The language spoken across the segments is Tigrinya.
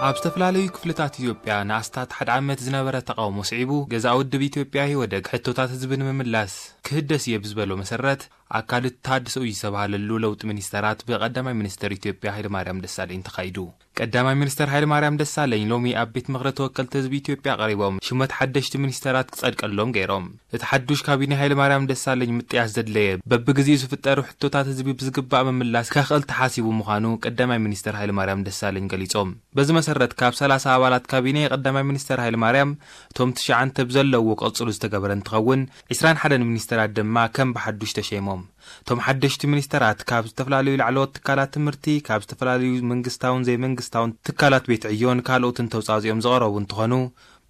ኣብ ዝተፈላለዩ ክፍልታት ኢትዮጵያ ንኣስታት ሓደ ዓመት ዝነበረ ተቓውሞ ስዒቡ፣ ገዛ ውድብ ኢትዮጵያ ኢህወደግ ሕቶታት ህዝቢ ንምምላስ ክህደስ እየ ብዝበሎ መሰረት ኣካል እቲ ተሃድሶ እዩ ዝተባህለሉ ለውጢ ሚኒስተራት ብቀዳማይ ሚኒስተር ኢትዮጵያ ሃይለማርያም ደሳለኝ ተኻይዱ። ቀዳማይ ሚኒስተር ሃይለማርያም ደሳለኝ ሎሚ ኣብ ቤት ምኽሪ ተወከልቲ ህዝቢ ኢትዮጵያ ቀሪቦም ሽመት ሓደሽቲ ሚኒስተራት ክጸድቀሎም ገይሮም። እቲ ሓዱሽ ካቢኔ ሃይለማርያም ደሳለኝ ምጥያስ ዘድለየ በብግዜኡ ዝፍጠሩ ሕቶታት ህዝቢ ብዝግባእ ምምላስ ከኽእል ተሓሲቡ ምዃኑ ቀዳማይ ሚኒስተር ሃይለማርያም ደሳለኝ ገሊጾም። በዚ መሰረት ካብ ሰላሳ ኣባላት ካቢኔ ቀዳማይ ሚኒስተር ሃይለማርያም እቶም ትሽዓተ ብዘለውዎ ክቕጽሉ ዝተገበረ እንትኸውን፣ ዕስራን ሓደን ሚኒስተራት ድማ ከም ብሓዱሽ ተሸይሞም። እቶም ሓደሽቲ ሚኒስተራት ካብ ዝተፈላለዩ ላዕለዎት ትካላት ትምህርቲ፣ ካብ ዝተፈላለዩ መንግስታውን ዘይመንግስታውን ትካላት ቤት ዕዮን ካልኦትን ተውጻእጺኦም ዝቐረቡ እንትኾኑ፣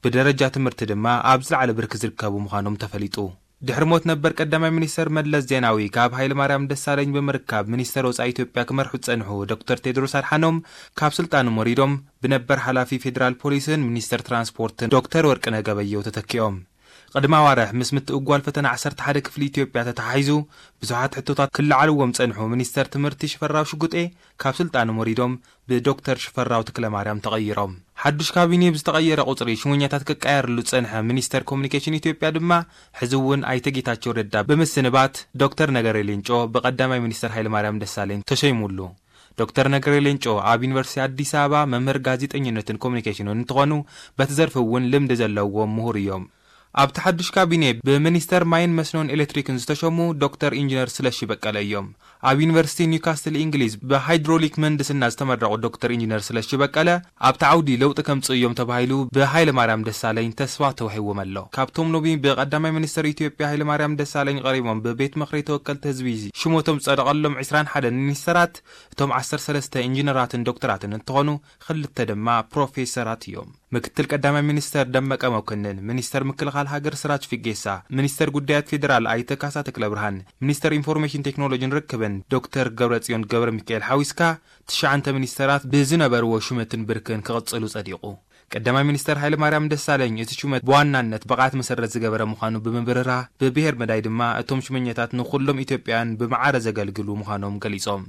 ብደረጃ ትምህርቲ ድማ ኣብ ዝለዓለ ብርኪ ዝርከቡ ምዃኖም ተፈሊጡ። ድሕሪ ሞት ነበር ቀዳማይ ሚኒስተር መለስ ዜናዊ ካብ ሃይለማርያም ደሳለኝ ብምርካብ ሚኒስተር ወጻኢ ኢትዮጵያ ክመርሑ ዝጸንሑ ዶክተር ቴድሮስ ኣድሓኖም ካብ ስልጣኖም ወሪዶም ብነበር ሓላፊ ፌዴራል ፖሊስን ሚኒስተር ትራንስፖርትን ዶክተር ወርቅነህ ገበየሁ ተተኪኦም። ቅድሚ ኣዋርሕ ምስ ምትእጓል ፈተና ዓሰርተ ሓደ ክፍሊ ኢትዮጵያ ተተሓሒዙ ብዙሓት ሕቶታት ክለዓልዎም ጸንሑ ሚኒስተር ትምህርቲ ሽፈራው ሽጉጤ ካብ ስልጣኖም ወሪዶም ብዶክተር ሽፈራው ተክለማርያም ተቐይሮም። ሓዱሽ ካቢኔ ብዝተቐየረ ቁጽሪ ሽሙኛታት ክቀየርሉ ዝጸንሐ ሚኒስተር ኮሙኒኬሽን ኢትዮጵያ ድማ ሕዚ እውን ኣይተ ጌታቸው ረዳ ብምስንባት ዶክተር ነገሪ ሌንጮ ብቀዳማይ ሚኒስተር ሃይለማርያም ደሳለኝ ተሸይሙሉ። ዶክተር ነገሪ ሌንጮ ኣብ ዩኒቨርሲቲ ኣዲስ ኣበባ መምህር ጋዜጠኝነትን ኮሙኒኬሽንን እንትኾኑ በቲ ዘርፊ እውን ልምዲ ዘለዎም ምሁር እዮም። ኣብቲ ሓዱሽ ካቢኔ ብሚኒስተር ማይን መስኖን ኤሌክትሪክን ዝተሸሙ ዶክተር ኢንጂነር ስለሺ በቀለ እዮም። ኣብ ዩኒቨርሲቲ ኒውካስትል እንግሊዝ ብሃይድሮሊክ ምህንድስና ዝተመረቑ ዶክተር ኢንጂነር ስለሺ በቀለ ኣብቲ ዓውዲ ለውጢ ከምጽኡ እዮም ተባሂሉ ብሃይለ ማርያም ደሳለኝ ተስፋ ተዋሂዎም ኣሎ። ካብቶም ሎሚ ብቀዳማይ ሚኒስተር ኢትዮጵያ ሃይለ ማርያም ደሳለኝ ቀሪቦም ብቤት ምኽሪ ተወከልቲ ህዝቢ ሽሞቶም ዝጸደቐሎም ዕስራን ሓደን ሚኒስተራት እቶም ዓሰርተ ሰለስተ ኢንጂነራትን ዶክተራትን እንትኾኑ ክልተ ድማ ፕሮፌሰራት እዮም። ምክትል ቀዳማይ ሚኒስተር ደመቀ መኮንን፣ ሚኒስተር ምክልኻል ሃገር ስራጅ ፊጌሳ፣ ሚኒስተር ጉዳያት ፌዴራል ኣይተ ካሳ ተክለ ብርሃን፣ ሚኒስተር ኢንፎርሜሽን ቴክኖሎጂን ርክብን ዶክተር ገብረጽዮን ገብረ ሚካኤል ሓዊስካ ትሽዓተ ሚኒስተራት ብዝነበርዎ ሹመትን ብርክን ክቕጽሉ ጸዲቑ። ቀዳማይ ሚኒስተር ሃይለ ማርያም ደሳለኝ እቲ ሹመት ብዋናነት ብቕዓት መሰረት ዝገበረ ምዃኑ ብምብርራህ፣ ብብሄር መዳይ ድማ እቶም ሹመኛታት ንኹሎም ኢትዮጵያውያን ብማዕረ ዘገልግሉ ምዃኖም ገሊጾም።